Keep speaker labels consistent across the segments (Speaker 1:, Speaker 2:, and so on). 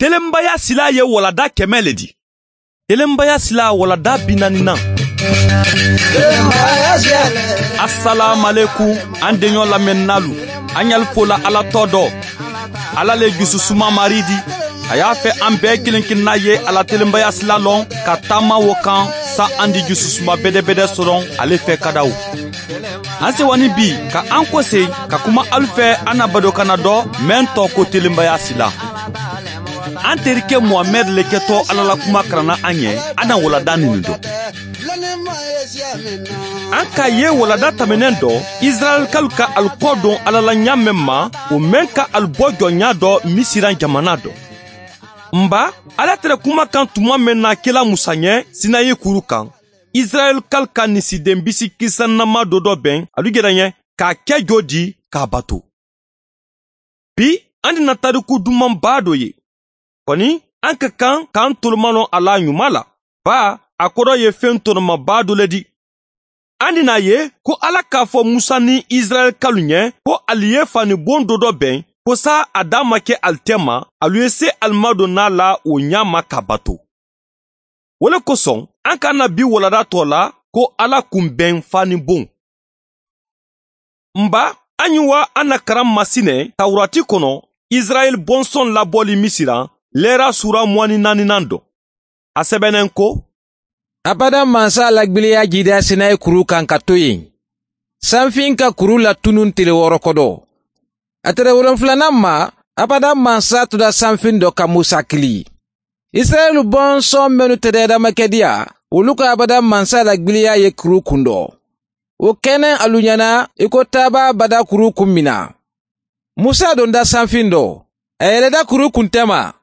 Speaker 1: Telenbaya sila ye walada 100 le di. Telenbaya sila walada 40nan. Assalamu alaikum an deɲɔ lamɛnnalu. An y'al fola Ala tɔ dɔ. Ala le jususuma mari di. A y'a fɛ an bɛɛ kelen kelenna ye ala telenbaya sila lɔn ka taama wo kan sa an di jususuma bɛdɛbɛdɛ sɔrɔ ale fɛ kadaw. An sewani bi ka an kɔse ka kuma alu fɛ an na badokana dɔ mɛn tɔ ko telenbaya sila. An terikɛ Muhamɛd le kɛtɔ Ala la kuma karanna an ɲɛ an na walada nin dɔ. An ka ye walada tɛmɛnen dɔ Israɛlkalu ka alu kɔ don Ala la ɲa mɛn ma o mɛn ka alu bɔ jɔnya dɔ Misiran jamana dɔ. Nba Ala tɛrɛ kuma kan tuma mɛn na kela Musa ɲɛ Sinayi kuru kan. Israɛlkalu ka nisiden bisi kisannama dɔ dɔ bɛn alu yɛrɛ ɲɛ k'a kɛ jo di k'a bato. Bi an dina tariku dumanba dɔ ye. Kɔni an ka kan k'an tolomanɔ a la ɲuman la. Ba a kɔrɔ ye fɛn tɔnɔmaba dɔ le di. An dina ye ko Ala k'a fɔ Musa ni Israɛlkalu ɲɛ ko alu ye fanibon dɔ dɔ bɛn ko sa a da ma kɛ alu tɛ ma alu ye se alu ma don n'a la o ɲa ma ka bato. O le kosɔn an ka na bi walada tɔ la ko Ala kunbɛn fanibon. Nba an ye wa an na karan masinɛ Tawurati kɔnɔ Israɛl bɔnsɔn labɔli Misira lɛra sura 24nan dɔ. A sɛbɛnnen ko
Speaker 2: Abada mansa lagbiliya jida Sinayi kuru kan ka to yen. Sanfin ka kuru latunun tile 6 kɔdɔ. A tɛrɛ 7nan ma, abada mansa tora sanfin dɔ ka Musa kili. Israɛl bɔnsɔn minnu tɛ adamakɛdiya, olu ka abada mansa lagbiliya ye kuru kun dɔ. O kɛnɛ alu ɲɛna i ko taaba bada kuru kun min na. Musa donda sanfin dɔ, a yɛlɛda kuru kun tɛ ma.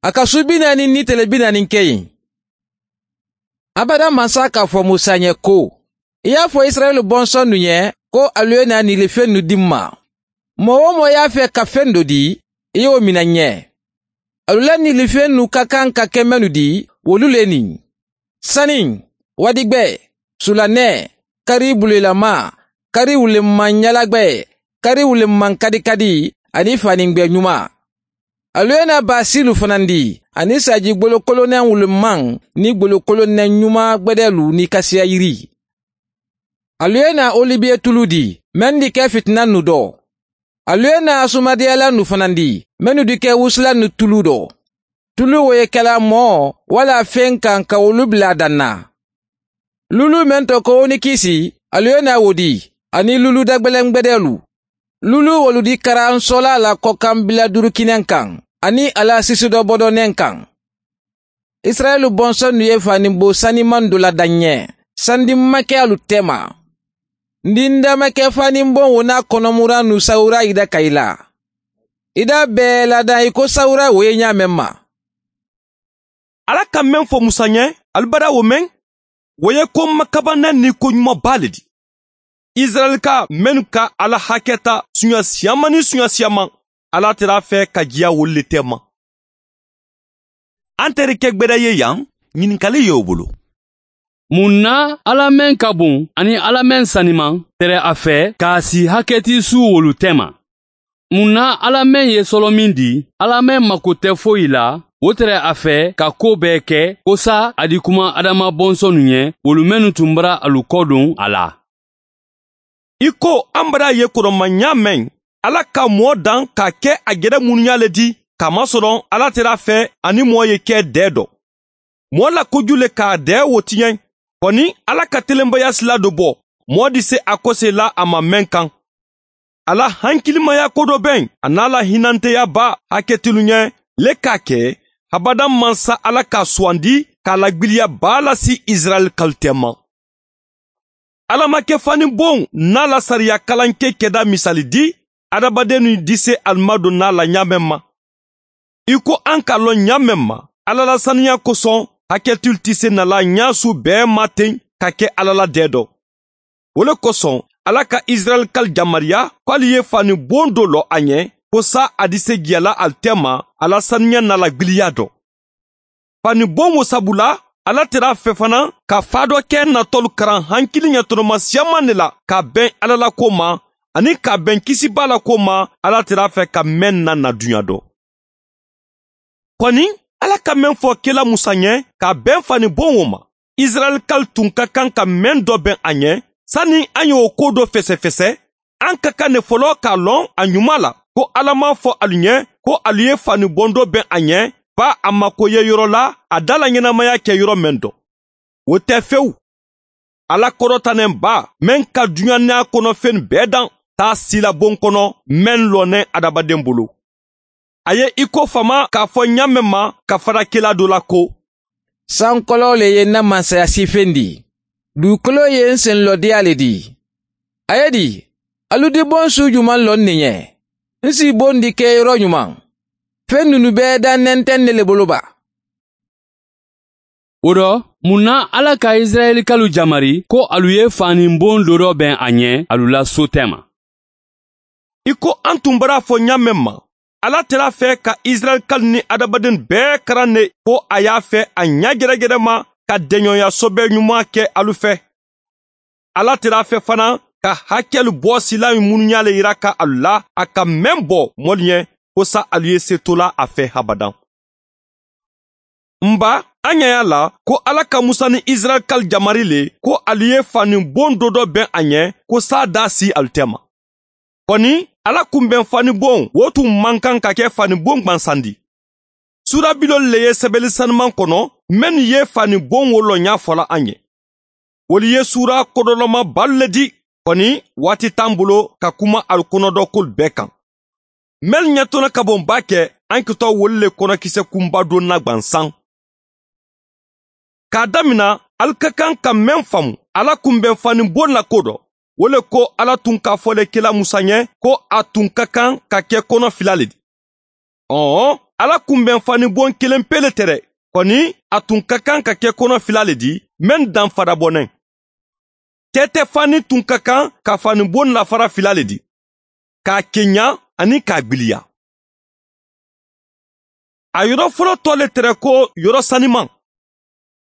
Speaker 2: A ka su 40 ni tile 40 kɛ yen. Abada mansa k'a fɔ Musa ɲɛ ko, i y'a fɔ Israɛl bɔnsɔn nu ɲɛ ko alu ye na nilifɛn nu di n ma. Mɔgɔ o mɔgɔ y'a fɛ ka fɛn dɔ di, i y'o minɛ ɲɛ. Alu la nilifɛn nu ka kan ka kɛ mɛnu di, olu le nin. Sani, wadigbɛ, sulanɛ, kari bulelama, kari wuleman ɲalagbɛ, kari wuleman kadikadi, ani fanigbɛ ɲuman. Alu ye na basilu fana di, ani saji golokolonɛ wuleman ni golokolonɛ ɲuman gbɛdɛlu ni kasiya yiri. Alu ye na olibiye tulu di, mɛn di kɛ fitina nu dɔ. Alu ye na sumadiyala nu fana di, mɛnu di kɛ wusula nu tulu dɔ. Tulu wo ye kɛla mɔ wala fɛn kan ka olu bila dan na. Lulu mɛn tɔ ko ni kisi, alu ye na wo di, ani lulu dagbɛlɛngbɛdɛlu. Lulu wolu di karansola la kɔkan bila durukinɛ kan, ani ala sisi dɔ bɔdɔnɛ kan. Israɛl bɔnsɔn nu ye fanibo saniman dɔ la daɲɛ, sandi ma kɛ alu tɛ ma. Ndinda ma kɛ fanibon wo n'a kɔnɔmura nu sawura ida ka i la. Ida bɛɛ ladan i ko sawura wo ye ɲa mɛn ma.
Speaker 1: Ala ka mɛn fɔ Musa ɲɛ, alibada wo mɛn, wo ye ko makabanɛ ni ko ɲumanba le di. Israɛlka mɛnu ka Ala hakɛ ta suɲa siyaman ni suɲa siyaman, Ala tɛr'a fɛ ka jiya wolu le tɛ ma. An terikɛ gbɛdɛ ye yan, ɲininkali y'o bolo.
Speaker 3: Mun na Ala mɛn ka bon ani Ala mɛn saniman tɛrɛ a fɛ k'a si hakɛti su wolu tɛ ma? Mun na Ala mɛn ye sɔlɔ min di, Ala mɛn mako tɛ foyi la, o tɛrɛ a fɛ ka ko bɛɛ kɛ, ko sa a di kuma Adama bɔnsɔnnu ɲɛ, wolu mɛnnu tun bara alu kɔ don a la.
Speaker 1: I ko an bara ye kɔrɔmanya mɛn, Ala ka mɔɔ dan k'a kɛ a gɛrɛ munuya le di, k'a masɔrɔ Ala tɛr'a fɛ ani mɔɔ ye kɛ dɛɛ dɔ. Mɔɔ la koju le k'a dɛɛ wo tiɲɛ, kɔni Ala ka telenbaya sila dɔ bɔ, mɔɔ di se a kɔse la a ma mɛn kan. Ala hankilimaya ko dɔ bɛn, a n'a la hinanteya ba hakɛtilu ɲɛ, le k'a kɛ, habada mansa Ala k'a suwandi k'a lagbiliya ba lasi Israɛl kalite ma. Ala ma kɛ fani bon n'a la sariya kalanke kɛda misali di, adamaden ni di se alima don n'a la ɲa mɛn ma. I ko an k'a lɔn ɲa mɛn ma, Ala la saniya kosɔn hakɛtilu tɛ se nala ɲa su bɛɛ ma ten ka kɛ Ala la dɛ dɔ. O le kosɔn Ala ka Israɛl kal jamariya k'ale ye fani bon dɔ lɔ a ɲɛ, ko sa a di se jɛla al tɛ ma ala saniya n'a la gbiliya dɔ. Fani bon wo sabu la, Ala tɛr'a fɛ fana ka fa dɔ kɛ natɔlu karan hankili ɲɛtɔnɔma siyaman de la ka bɛn Ala la ko ma ani ka bɛn kisiba la ko ma Ala tɛr'a fɛ ka mɛn na na duɲa dɔ. Kɔni Ala ka mɛn fɔ kela Musa ɲɛ ka bɛn fani bon o ma, Israɛlkalu tun ka kan ka mɛn dɔ bɛn a ɲɛ. Sani an y'o ko dɔ fɛsɛfɛsɛ, an ka kan ne fɔlɔ k'a lɔn a ɲuman la ko Ala m'a fɔ alu ɲɛ ko alu ye fani bon dɔ bɛn a ɲɛ ba a mako ye yɔrɔ la a da la ɲɛnamaya kɛ yɔrɔ mɛn dɔ. O tɛ fewu. Ala kɔrɔtanen ba mɛn ka duɲa n'a kɔnɔfɛn bɛɛ dan t'a sila bon kɔnɔ mɛn lɔnɛ adamaden bolo. A ye i ko fama k'a fɔ ɲa mɛn ma ka fara kela dɔ la ko:
Speaker 2: Sankɔlɔ le ye na mansaya sifen di, dugukolo ye n senlɔdiya le di. A ye di, alu di bon su juman lɔ nin ɲɛ, n si bon di kɛ yɔrɔ ɲuman. Fɛn ninnu bɛɛ dannen tɛ ne le bolo ba.
Speaker 3: O rɔ, mun na Ala ka Israɛlikalu jamari ko alu ye fani bon dɔ dɔ bɛn a ɲɛ alu la so tɛ ma?
Speaker 1: I ko an tun bara fɔ ɲa mɛn ma, Ala tɛra fɛ ka Israɛlikalu ni adamaden bɛɛ karan ne ko a y'a fɛ a ɲa gɛrɛgɛrɛ ma ka dɛɲɔya sɔbɛ ɲuman kɛ alu fɛ. Ala tɛra fɛ fana ka hakɛlu bɔ sila munuya le yira ka alu la a ka mɛn bɔ mɔlu ɲɛ ko sa alu ye se to la a fɛ habadan. Nba an ɲɛ y'a la ko Ala ka Musa ni Israɛlikalu jamari le ko alu ye fani bon dɔ dɔ bɛn a ɲɛ ko sa da si alu tɛ ma. Kɔni Ala kunbɛn fani bon wo tun man kan ka kɛ fani bon gwansandi. Sura bilolu le ye sɛbɛnni sanuman kɔnɔ minnu ye fani bon wo lɔnya fɔla an ye. Olu ye sura kɔdɔlɔma balu le di. Kɔni waati t'an bolo ka kuma alu kɔnɔdɔ kolu bɛɛ kan. Mɛli ɲɛtɔnɔ ka bon ba kɛ an kitɔ wolu le kɔnɔkisɛ kunba don na gwansan. K'a damina alu ka kan ka mɛn faamu Ala kunbɛn fani bon la ko dɔ. O le ko Ala tun k'a fɔ le kela Musa ɲɛ ko a tun ka kan ka kɛ kɔnɔ fila le di. Ɔɔ, Ala kunbɛn fani bon kelen pe le tɛ dɛ. Kɔni a tun ka kan ka kɛ kɔnɔ fila le di mɛn danfara bɔnɛ. Tɛtɛ fani tun ka kan ka fani bon lafara fila le di, k'a kenya ani k'a gbiliya. A yɔrɔ fɔlɔ tɔ le tɛrɛ ko yɔrɔ saniman.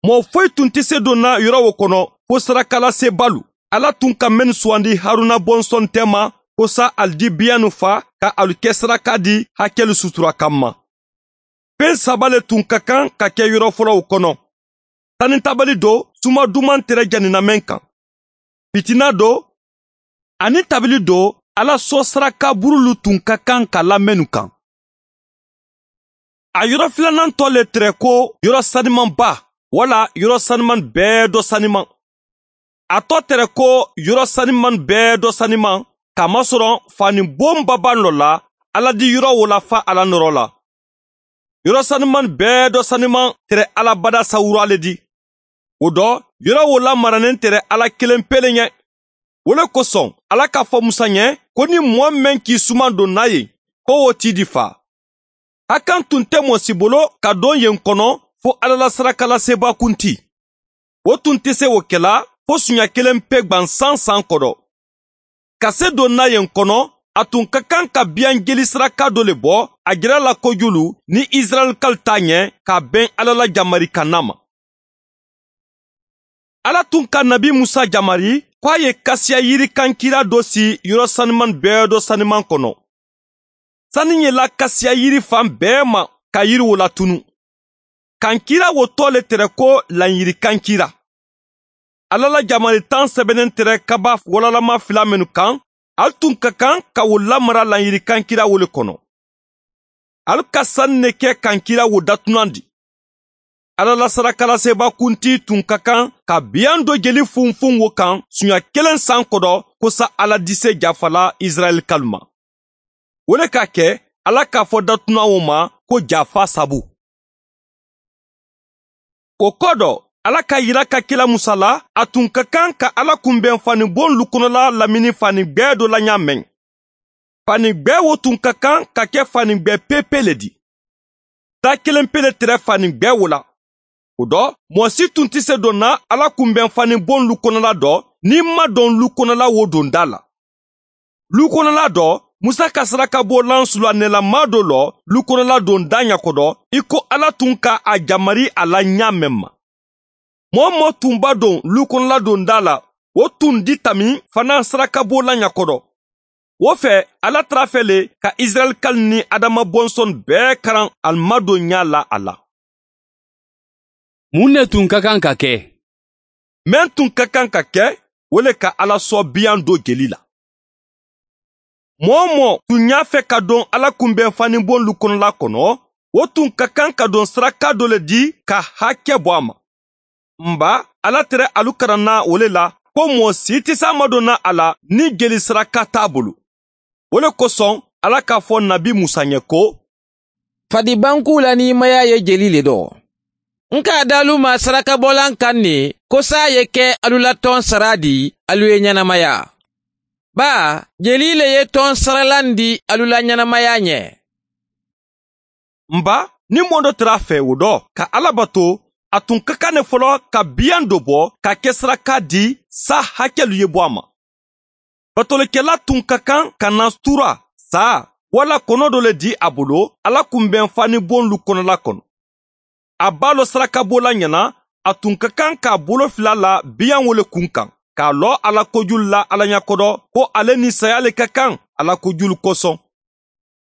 Speaker 1: Mɔgɔ foyi tun tɛ se don na yɔrɔ o kɔnɔ ko sarakalasebalu. Ala tun ka mɛn suwandi Haruna bɔnsɔn tɛ ma ko sa ali di biyanu fa ka alu kɛ saraka di hakɛlu sutura kanma. Fɛn saba le tun ka kan ka kɛ yɔrɔ fɔlɔw kɔnɔ. Tanitabali do suma duman tɛrɛ janinamɛn kan. Fitina do ani tabili do Ala sɔ saraka burulu tun ka kan ka lamɛnnu kan. A yɔrɔ filanan tɔ le tɛrɛ ko yɔrɔ sanimanba wala yɔrɔ saniman bɛɛ dɔ saniman. A tɔ tɛrɛ ko yɔrɔ saniman bɛɛ dɔ saniman kamasɔrɔ fani bonbaba nɔ la Ala di yɔrɔ wo la fa Ala nɔrɔ la. Yɔrɔ saniman bɛɛ dɔ saniman tɛrɛ Ala bada sawura le di. O dɔ yɔrɔ wo la maranen tɛrɛ Ala kelen pele ɲɛ. O le kosɔn Ala k'a fɔ Musa ɲɛ ko ni mɔɔ mɛn k'i suman don n'a ye ko o t'i di fa. Hakan tun tɛ mɔɔ si bolo ka don yen kɔnɔ fo Ala la sarakalaseba kunti. O tun tɛ se o kɛla fo suɲa kelen pe gwansan san kɔrɔ. Ka se don n'a yen kɔnɔ, a tun ka kan ka biyan jeli saraka dɔ le bɔ a jira la kojulu ni Israɛlikalu ta ɲɛ ka bɛn Ala la jamari kanna ma. Ala tun ka nabi Musa jamari ko a ye kasiya yiri kankira dɔ si yɔrɔ saniman bɛɛ dɔ saniman kɔnɔ. Sani ye la kasiya yiri fan bɛɛ ma ka yiri wo latunu. Kankira wo tɔ le tɛrɛ ko lanyiri kankira. Ala la jamari tan sɛbɛnnen tɛrɛ kaba walalama fila minnu kan, alu tun ka kan ka wo lamara lanyiri kankira wo le kɔnɔ. Alu ka sani ne kɛ kankira wo datunan di. Ala la sarakalaseba kunti tun ka kan ka biyan dɔ jeli funfun wo kan suɲa kelen san kɔrɔ ko sa Ala dise jafala Israɛlikalu ma. O le k'a kɛ Ala k'a fɔ datunan wo ma ko jafa sabu. O kɔ dɔ, Ala ka yira ka kila Musa la, a tun ka kan ka Ala kunbɛn fani bon lukɔnɔla lamini fani gbɛɛ dɔ la ɲa mɛn. Fani gbɛɛ wo tun ka kan ka kɛ fani gbɛɛ pepe le di. Da kelen pe le tɛrɛ fani gbɛɛ wo la. O dɔ, mɔɔ si tun tɛ se don na Ala kunbɛn fani bon lukɔnɔla dɔ n'i ma don lukɔnɔla wo don da la. Lukɔnɔla dɔ, Musa ka saraka bɔlan sulanɛlama dɔ lɔ lukɔnɔla don da ɲakɔdɔ i ko Ala tun ka a jamari a la ɲa mɛn ma. Mɔɔ mɔɔ tun b'a don lukɔnɔla don da la, o tun di tami fana saraka bɔlan ɲakɔdɔ. O fɛ Ala tara fɛ le ka Israɛlkalu ni Adama bɔnsɔn bɛɛ karan alu madon ɲa la a la.
Speaker 3: Mun de tun ka kan ka kɛ?
Speaker 1: Mɛn tun ka kan ka kɛ, o le ka Ala sɔn biyan do jeli la. Mɔɔ o mɔɔ tun y'a fɛ ka don Ala kunbɛn fanibon lu kɔnɔla kɔnɔ, o tun ka kan ka don saraka dɔ le di ka hakɛ bɔ a ma. Nba Ala tɛrɛ alu karanna o le la ko mɔɔ si tɛ s'a madonna a la ni jeli saraka t'a bolo. O le kosɔn Ala k'a fɔ Nabi Musa ɲɛ ko:
Speaker 2: Fadibanku la nimaya ye jeli le dɔ. N k'a dalu ma sarakabɔlan kan ne ko sa ye kɛ alu la tɔn sara di alu ye ɲɛnamaya. Ba jeli le ye tɔn saralan di alu la ɲɛnamaya ɲɛ.
Speaker 1: Nba ni mɔɔ dɔ tɛr'a fɛ o dɔ ka Ala bato, a tun ka kan ne fɔlɔ ka biyan dɔ bɔ ka kɛ saraka di sa hakɛlu ye bɔ a ma. Batolikɛla tun ka kan ka na tura, sa wala kɔnɔ dɔ le di a bolo Ala kunbɛn fanibon lu kɔnɔla kɔnɔ. A b'a lɔ sarakabɔla ɲɛna, a tun ka kan k'a bolo fila la biyan wo le kun kan, k'a lɔ Ala kojulu la Ala ɲɛkɔrɔ ko ale ni saya le ka kan Ala kojulu kosɔn.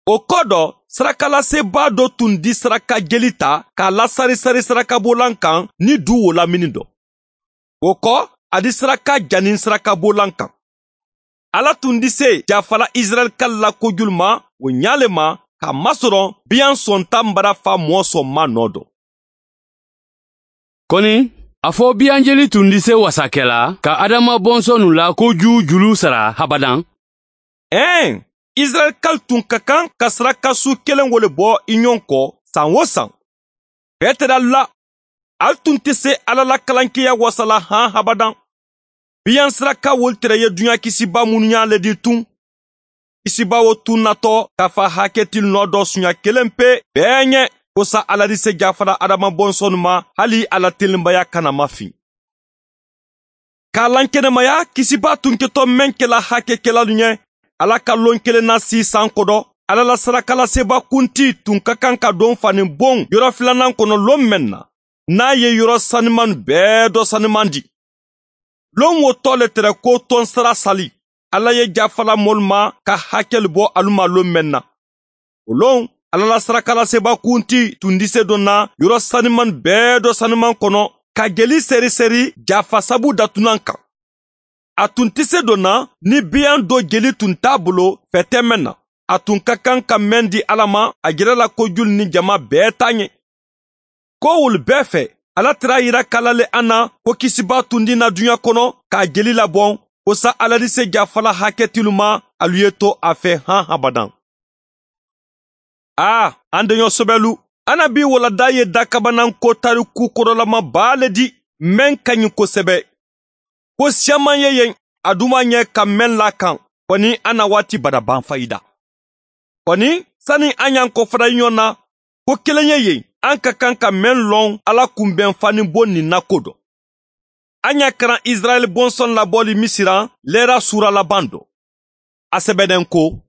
Speaker 1: O kɔ dɔ, sarakalasebaa dɔ tun di saraka jeli ta k'a lasarisari sarakabolan kan ni du wo lamini dɔ. O kɔ, a di saraka jani sarakabolan kan. Ala tun di se jafala Israɛlka la kojulu ma o ɲa le ma k'a masɔrɔ biyan sɔnta bara fa mɔɔ sɔn ma nɔ dɔ.
Speaker 3: Kɔni, a fɔ biyanjeli tun di se wasakɛla ka Adama bɔnsɔnnu la koju julu sara habadan.
Speaker 1: Ɛn, Israɛlkalu tun ka kan ka sarakasu kelen wo le bɔ i ɲɔgɔn kɔ san o san. Bɛɛ tɛrɛ alu la, alu tun tɛ se Ala la kalankeya wasala han habadan. Biyan saraka wolu tɛrɛ ye duɲa kisiba minnu y'a le di tun. Kisiba wo tun natɔ k'a fa hakɛtil nɔ dɔ suɲa kelen pe bɛɛ ɲɛ ko sa Ala di se jafara Adama bɔnsɔnnu ma hali Ala telenbaya kana mafin. K'a lankɛnɛmaya kisiba tun kɛtɔ mɛn kɛla hakɛkɛlalu ɲɛ Ala ka lon kelen na si san kɔdɔ, Ala la sarakalaseba kunti tun ka kan ka don fani bon yɔrɔ filanan kɔnɔ lon mɛn na, n'a ye yɔrɔ saniman bɛɛ dɔ saniman di. Lon wo tɔ le tɛrɛ ko tɔn sara sali, Ala ye jafala mɔlu ma ka hakɛlu bɔ alu ma lon mɛn na. O lon, Ala la sarakalaseba kunti tun di se don na yɔrɔ saniman bɛɛ dɔ saniman kɔnɔ ka jeli seri-seri jafa sabu datunan kan. A tun tɛ se don na ni biyan dɔ jeli tun t'a bolo fɛtɛ mɛn na. A tun ka kan ka mɛn di Ala ma a jɛrɛ la kojulu ni jama bɛɛ ta ɲɛ. Ko wolu bɛɛ fɛ, Ala tɛr'a yira kala le an na ko kisiba tun di na duɲa kɔnɔ k'a jeli labɔn ko sa Ala di se jafala hakɛtilu ma alu ye to a fɛ han habadan. Aa, an deɲɔ sɛbɛlu, an na bi walada ye dakabanan ko tariku kɔrɔlama baa le di mɛn ka ɲi kosɛbɛ. Ko siyaman ye yen a duma ɲɛ ka mɛn la kan kɔni an na waati bada ban fayida. Kɔni sani an y'an kɔfara ɲɔgɔn na ko kelen ye yen an ka kan ka mɛn lɔn Ala kunbɛn fani bon nin na ko dɔ. An y'a karan Israɛl bɔnsɔn labɔli Misira lɛra sura laban dɔ. A sɛbɛnnen ko: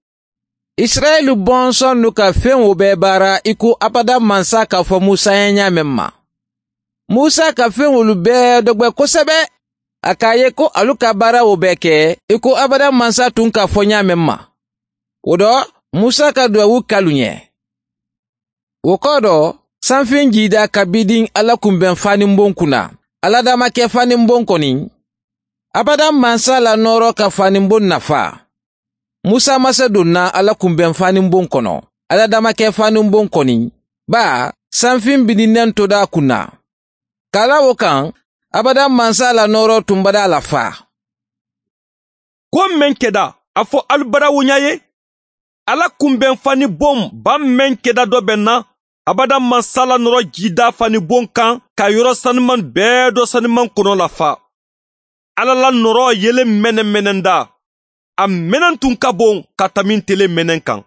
Speaker 2: Israɛl bɔnsɔn nu ka fɛn o bɛɛ baara i ko abada mansa k'a fɔ Musa ye ɲa mɛn ma. Musa ka fɛn olu bɛɛ dɔgbɛ kosɛbɛ. A k'a ye ko alu ka baara o bɛɛ kɛ i ko abada mansa tun k'a fɔ ɲa mɛn ma. O dɔ, Musa ka duwawu kalu ɲɛ. O kɔ dɔ, sanfin jida ka bidin Ala kunbɛn fanibon kunna. Ala dama kɛ fanibon kɔni. Abada mansa la nɔrɔ ka fanibon nafa. Musa ma se donna Ala kunbɛn fanibon kɔnɔ. Ala dama kɛ fanibon kɔni. Ba, sanfin bidinnen toda kunna. Kala o kan, abada mansa la nɔrɔ tun bada la fa.
Speaker 1: Ko mɛn kɛda, a fɔ alu bara woɲa ye. Ala kunbɛn fani bon ba mɛn kɛda dɔ bɛ na, abada mansa la nɔrɔ jida fani bon kan ka yɔrɔ saniman bɛɛ dɔ saniman kɔnɔ la fa. Ala la nɔrɔ yelen mɛnɛ mɛnɛ da. A mɛnɛ tun ka bon ka tami tele mɛnɛ kan.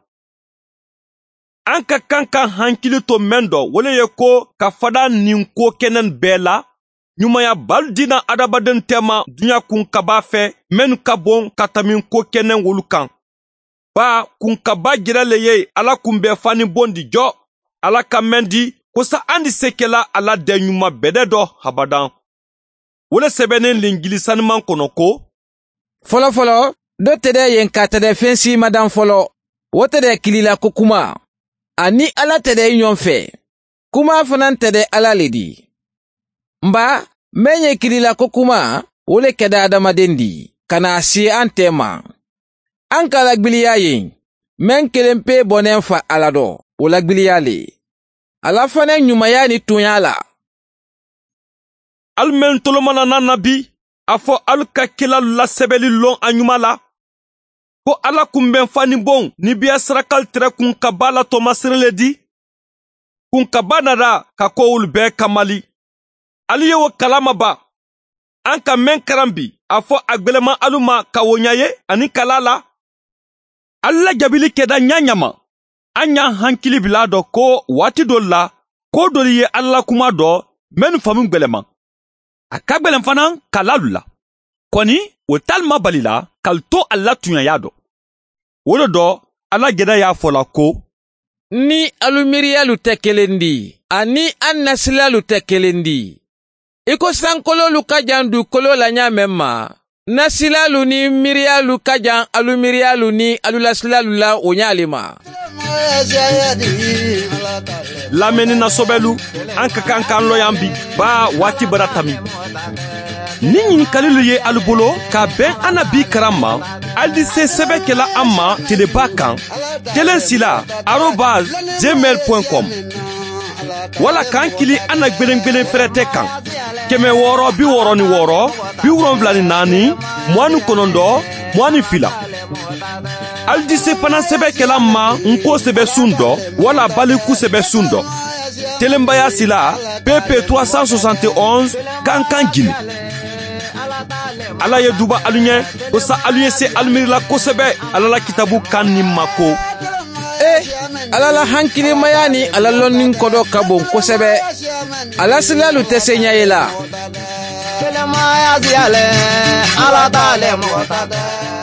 Speaker 1: An ka kan ka hankili to mɛn dɔ, o le ye ko ka fada nin ko kɛnɛ bɛɛ la. Ɲumanya bali dina adamaden tɛma duɲa kun kaba fɛ mɛnnu ka bon ka tami ko kɛnɛ wolu kan. Ba kunkaba jɛrɛ le ye Ala kunbɛn fani bon di jɔ. Ala ka mɛn di ko sa an di se kɛla Ala dɛ ɲuman bɛdɛ dɔ habadan. O le sɛbɛnnen lingili saniman kɔnɔ ko:
Speaker 2: Fɔlɔ fɔlɔ, Dɔ tɛ dɛ yen ka tɛ dɛ fɛn si ma dan fɔlɔ. O tɛ dɛ kilila ko kuma. Ani Ala tɛ dɛ ɲɔgɔn fɛ. Kuma fana tɛ dɛ Ala le di. Nba mɛn ye kilila ko kuma, o le kɛda adamaden di, ka na se an tɛ ma. An ka lagbiliya yen, mɛn kelen pe bɔnɛ fa Ala dɔ, o lagbiliya le. Ala fana ɲumanya ni tunya la.
Speaker 1: Alu mɛn tolomana na na bi, a fɔ alu ka kelalu lasɛbɛli lɔn a ɲuman la. Ko Ala kunbɛn fani bon ni biya sarakal tɛrɛ kun ka ba la tɔmasere le di. Kun ka ba nada ka kowulu bɛɛ kamali. Alu ye o kalama ba. An ka mɛn karan bi, a fɔ a gwɛlɛma alu ma ka o ɲa ye ani kala la. Alu la jabili kɛda ɲa ɲama. An y'an hankili bila dɔ ko waati dɔ la, ko dɔ ye Ala la kuma dɔ mɛnnu faamu gwɛlɛma. A ka gwɛlɛn fana kalalu la. Kɔni, o t'alu ma bali la k'alu to a la tuɲaya dɔ. O de dɔ, Ala gɛdɛ y'a fɔ la ko,
Speaker 2: ni alu miiriyalu tɛ kelen di, ani an nasilalu tɛ kelen di. I ko sankololu ka jan dugukolo la ɲa mɛn ma, nasilalu ni miiriyalu ka jan alu miiriyalu ni alu lasilalu la o ɲa le ma.
Speaker 1: Lamɛnni na sɔbɛlu, an ka kan k'an lɔ yan bi, ba waati bara tami. Ni ɲininkalilu ye alu bolo ka bɛn an na bi karan ma, alu di se sɛbɛ kɛla an ma teleba kan, 1 sila @gmail point com. Wala k'an kili an na gwelen-gwelen fɛrɛtɛ kan. 666 74 29 22. Alu di se fana sɛbɛ kɛla ma nko sɛbɛ sun dɔ, wala baliku sɛbɛ sun dɔ. Telenbaya sila PP 371 Kankan Guinée. Ala ye duba alu ɲɛ, ko sa alu ye se alu miirila kosɛbɛ Ala la kitabu kan ni mako.
Speaker 2: Ala la hankilimaya ni Ala lɔnni kɔdɔ ka bon kosɛbɛ. Ala silalu tɛ se ɲɛ ye la.
Speaker 4: Kelemaya siyalɛ, Ala t'ale mɔgɔ ta tɛ.